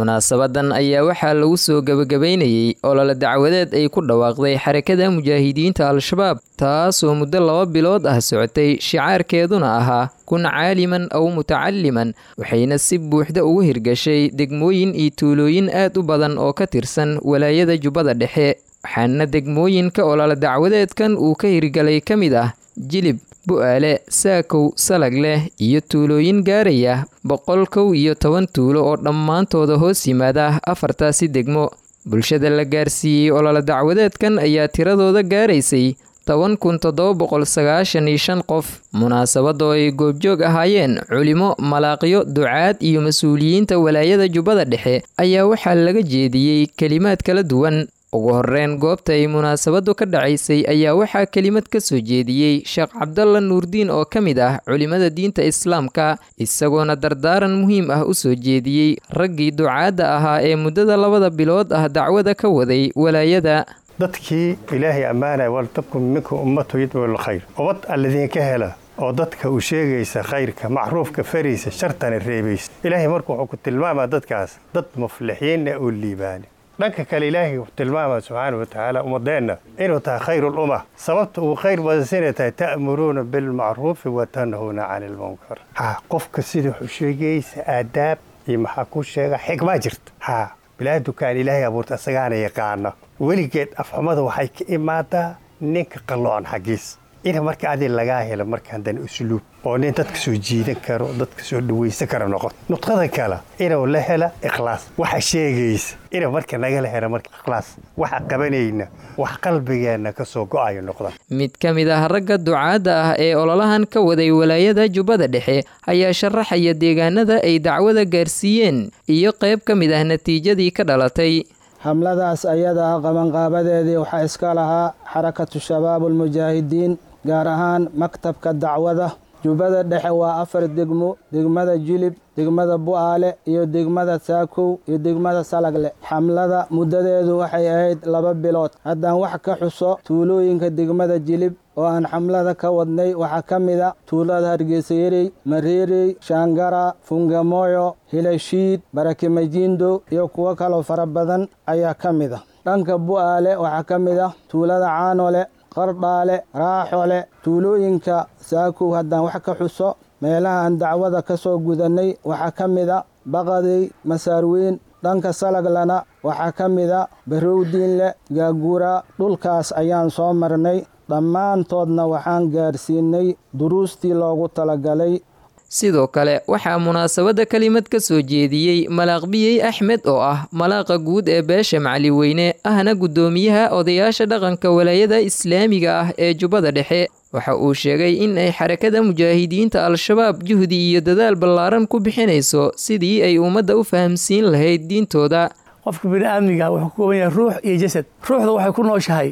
Munaasabadan ayaa waxaa lagu soo gebagabaynayey olole dacwadeed ay ku dhawaaqday Xarakada Mujaahidiinta Al-Shabaab, taasoo muddo 2 bilood ah socotay, shicaarkeeduna ahaa "Kun caaliman aw mutacaliman", waxayna si buuxda ugu hirgashay degmooyin iyo tuulooyin aad u badan oo ka tirsan walaayada Jubbada Dhexe. Waxaana degmooyinka olole dacwadeedkan uu ka hirgalay ka mid ah Jilib, Bu'aale, Saakow, Salagleh iyo tuulooyin gaaraya 111 tuulo oo dhammaantooda hoos yimaada afartaasi degmo. Bulshada la gaarsiiyey olole dacwadeedkan ayaa tiradooda gaaraysay 10,795 qof. Munaasabadoo ay goobjoog ahaayeen culimo, malaaqyo, ducaad iyo mas-uuliyiinta walaayada Jubbada Dhexe ayaa waxaa laga jeediyey kelimaad kala duwan. Ugu horreyn, goobta ay munaasabadu ka dhacaysay ayaa waxaa kelimad ka soo jeediyey Sheekh Cabdalla Nuurdiin oo ka mid ah culimada diinta Islaamka, isagoona dardaaran muhiim ah u soo jeediyey raggii ducaadda ahaa ee muddada 2da bilood ah dacwada ka waday walaayada. Dadkii Ilaahay ammaanaya, "Waltakun minkum ummatu yadcuu lilkhayr", ubad alladinka hela oo dadka u sheegaysa khayrka, macruufka faraysa, shartana reebaysa. Ilaahay marka wuxuu ku tilmaamaa dadkaas dad muflixiinna oo liibaani. Dhanka kale, Ilaahay wuxuu tilmaamaa subxaana wa tacaala ummadeenna inuu tahay khayr ulumma. Sababta uu khayr badansinay tahay, "Ta'muruuna bilmacruufi wa tanhuuna cani ilmunkar". Ha, qofka sida wuxuu sheegaysa aadaab iyo maxaa ku sheega xikmaa jirta. Ha, bilaa dukaan Ilaahay abuurta asagaana yaqaana. Weligeed afxumada waxay ka imaadaa ninka qalloocan xaggiis. Ina marka adi lagaa helo marka haddana usluub oo nin dadka soo jiidan karo, dadka soo dhawaysan karo noqon. Nudqada kale inuu la hela ikhlaas, waxa sheegaysa inuu marka nagala helo marka ikhlaas, waxa qabanayna wax qalbigeenna ka soo go'ayo noqda. Mid ka mid ah ragga ducaadda ah ee ololahan ka waday walaayada Jubbada Dhexe ayaa sharaxaya deegaanada ay dacwada gaarsiiyeen iyo qayb ka mid ah natiijadii ka dhalatay. Xamladaas ayada ah qabanqaabadeedii waxaa iska lahaa Xarakatu Shabaab Almujaahidiin, gaar ahaan maktabka dacwada Jubbada Dhexe. Waa afar degmo: degmada Jilib, degmada Bu'aale iyo degmada Saakow iyo degmada Salagle. Xamlada muddadeedu waxay ahayd 2 bilood. Haddaan wax ka xuso tuulooyinka degmada Jilib oo aan xamlada ka wadnay, waxaa ka mid a tuulada Hargeysayerey, Mareerey, Shaangara, Fungamoyo, Hilashiid, Barakimajindo iyo kuwo kaloo fara badan ayaa ka mid a. Dhanka Bu'aale waxaa ka mid ah tuulada Caanole, Qardhaale, Raaxole. Tuulooyinka Saakow haddaan wax ka xuso meelaha aan dacwada ka soo gudannay, waxaa ka mid a Baqadey, Masaarweyn. Dhanka Salaglana waxaa ka mid a Barowdiinle, Gaaguura. Dhulkaas ayaan soo marnay, dhammaantoodna waxaan gaarsiinay duruustii loogu talagalay. Sidoo kale waxaa munaasabadda kelimad ka soo jeediyey Malaaq Biyey Axmed oo ah malaaqa guud ee beesha Macaliweyne, ahna guddoomiyaha odayaasha dhaqanka walaayada islaamiga ah ee Jubbada Dhexe. Waxa uu sheegay in ay Xarakada Mujaahidiinta Al-Shabaab juhdi iyo dadaal ballaaran ku bixinayso sidii ay ummadda u fahamsiin lahayd diintooda. Qofka bini aadmiga wuxuu ka kooban yahay ruux iyo jasad. Ruuxda waxay ku nooshahay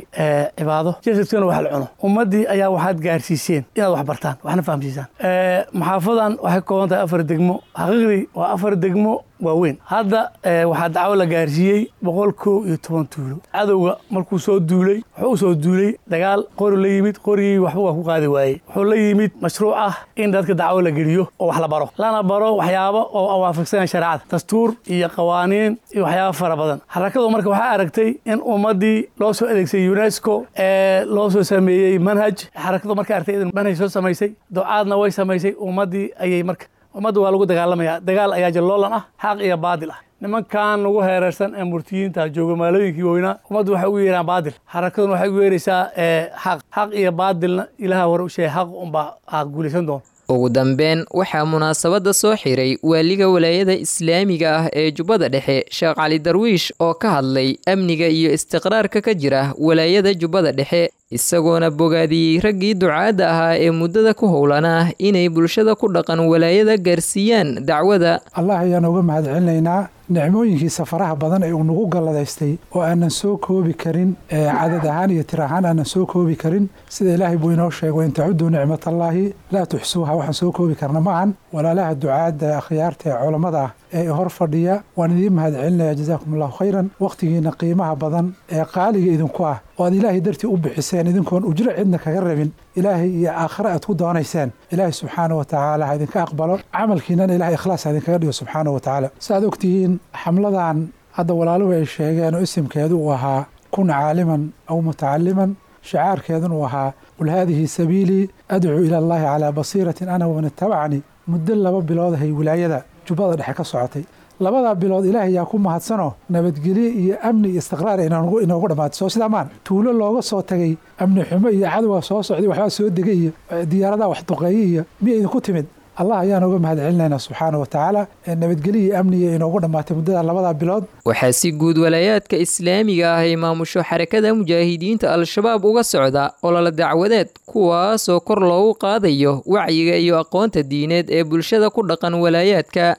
cibaado, jasadkuna wax la cuno. Ummaddii ayaa waxaad gaarsiiseen inaad wax bartaan, waxna fahamsiisaan. Maxaafadan waxay ka kooban tahay afar degmo. Xaqiiqdii waa afar degmo waaweyn. Hadda waxaa dacwo la gaarsiiyey 111 tuulo. Cadowga markuu soo duulay, wuxuu u soo duulay dagaal, qori la yimid. Qorigii waxba waa ku qaadi waayey. Wuxuu la yimid mashruuc ah in dadka dacwo la geliyo oo wax la baro, lana baro waxyaabo oo waafaqsanaya shareecada, dastuur iyo qawaaniin iyo waxyaabo fara badan. Xarakadu marka waxaa aragtay in ummaddii loo soo adeegsayay UNESCO ee loo soo sameeyey manhaj. Xarakadu marka aragtay in manhaj soo samaysay, ducaadna way samaysay ummaddii ayay. Marka ummadda waa lagu dagaalamaya, dagaal ayaa jalloolan ah, xaq iyo baadil ah. Nimankan lagu heerarsan ee murtiyiinta jooga maalooyinkii waaweynaa, ummaddu waxay ugu yeeraan baadil, xarakaduna waxay ugu yeeraysaa xaq. Xaq iyo baadilna Ilaha hore u sheegay, xaq unbaa aad guulaysan doon. Ugu dambeyn, waxaa munaasabadda soo xiray waaliga walaayada islaamiga ah ee Jubbada Dhexe, Sheekh Cali Darwiish, oo ka hadlay amniga iyo istiqraarka ka jira walaayada Jubbada Dhexe, isagoona bogaadiyey raggii ducaadda ahaa ee muddada ku howlanaa inay bulshada ku dhaqan walaayada gaarsiiyaan dacwada. Allah ayaan uga mahadcelinaynaa nicmooyinkiisa faraha badan ee uu nagu galladaystay oo aanan soo koobi karin, cadad ahaan iyo tir ahaan aanan soo koobi karin. Sida Ilaahay buu inoo sheegay, "وإن تعدوا نعمة الله لا تحصوها". Waxaan soo koobi karna maahan. Walaalaha ducaadda, akhyaarta ee culammada ah. ee hor fadhiya waan idiin mahad celinaya. Jazaakum allahu khayran. Wakhtigiina qiimaha badan ee qaaliga idinku ah oo aad Ilaahay dartii u bixiseen, idinkoon ujro cidna kaga rabin, Ilaahay iyo aakhare aad ku doonayseen, Ilaahay subxaana wa tacaala ha idinka aqbalo camalkiinana, Ilahay ikhlaas ha idinkaga dhigo subxaana wa tacaala. Si aad ogtihiin, xamladan hadda walaaluhu ay sheegeen oo isimkeedu uu ahaa kun caaliman aw mutacaliman, shicaarkeedun uu ahaa qul haadihi sabiilii adcuu ila allahi calaa basiiratin ana waman ittabacanii, muddo 2 bilood ahay wilaayada Jubbada Dhexe ka socotay. 2-daa bilood Ilaahay yaa ku mahadsanoo nabadgelye iyo amni iyo istiqraar inoogu dhammaatay. Soo sidaa maan tuulo looga soo tagay amni xumo iyo cadowga soo socday, waxbaa soo degay iyo diyaaradaha wax duqeeye iyo miya idinku timid? Allah ayaan uga mahad celinaynaa subxaana wa tacaala, nabadgelye iyo amniga inoogu dhammaatay muddada 2-daa bilood. Waxaa si guud walaayaadka islaamiga ah ay maamusho Xarakada Mujaahidiinta Al-Shabaab uga socda olole dacwadeed, kuwaasoo kor loogu qaadayo wacyiga iyo aqoonta diineed ee bulshada ku dhaqan walaayaadka.